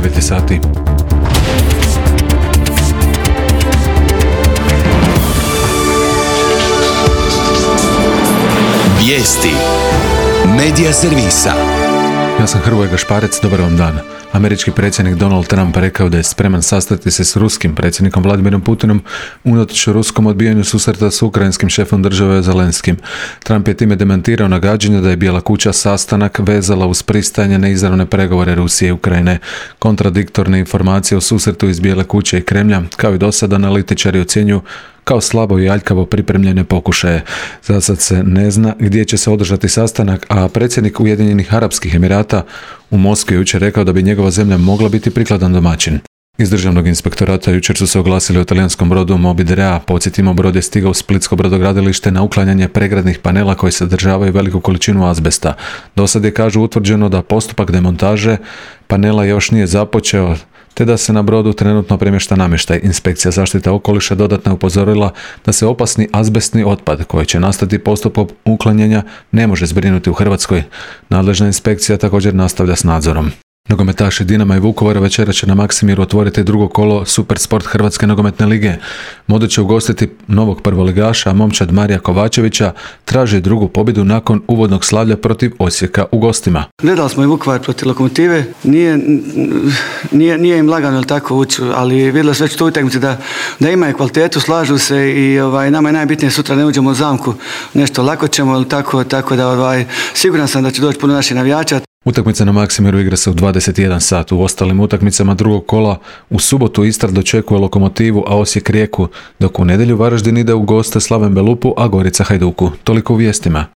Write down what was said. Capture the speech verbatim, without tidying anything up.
devet sati. Vijesti Medija servisa. Ja sam Hrvoje Gašparec, dobar vam dan. Američki predsjednik Donald Trump rekao da je spreman sastati se s ruskim predsjednikom Vladimirom Putinom unatoč ruskom odbijanju susreta s ukrajinskim šefom države Zelenskim. Trump je time demantirao nagađanje da je Bijela kuća sastanak vezala uz pristajanje na izravne pregovore Rusije i Ukrajine. Kontradiktorne informacije o susretu iz Bijele kuće i Kremlja, kao i do sada, analitičari ocjenjuju kao slabo i aljkavo pripremljene pokušaje. Za sad se ne zna gdje će se održati sastanak, a predsjednik Ujedinjenih Arapskih Emirata u Moskvi jučer rekao da bi njegova zemlja mogla biti prikladan domaćin. Iz državnog inspektorata jučer su se oglasili o talijanskom brodu Moby Drea. Podsjetimo, brod je stigao u splitsko brodogradilište na uklanjanje pregradnih panela koji sadržavaju veliku količinu azbesta. Do sad je, kažu, utvrđeno da postupak demontaže panela još nije započeo, te da se na brodu trenutno premješta namještaj. Inspekcija zaštite okoliša dodatno je upozorila da se opasni azbestni otpad koji će nastati postupkom uklanjanja ne može zbrinuti u Hrvatskoj. Nadležna inspekcija također nastavlja s nadzorom. Nogometaši Dinama i Vukovara večera će na Maksimiru otvoriti drugo kolo Supersport Hrvatske nogometne lige. Modrić će ugostiti novog prvoligaša, a momčad Marija Kovačevića traži drugu pobjedu nakon uvodnog slavlja protiv Osijeka u gostima. Gledali smo i Vukovar protiv Lokomotive, nije, nije, nije im lagano tako ući, ali vidjeli su već tu utakmici da, da imaju kvalitetu, slažu se i ovaj, nama je najbitnije sutra ne uđemo u zamku, nešto lako ćemo, tako, tako da ovaj, siguran sam da će doći puno naših navijača. Utakmica na Maksimiru igra se u dvadeset jedan sat. U ostalim utakmicama drugog kola u subotu Istra dočekuje Lokomotivu, a Osijek Rijeku, dok u nedjelju Varaždin ide u goste Slaven Belupu, a Gorica Hajduku. Toliko u vijestima.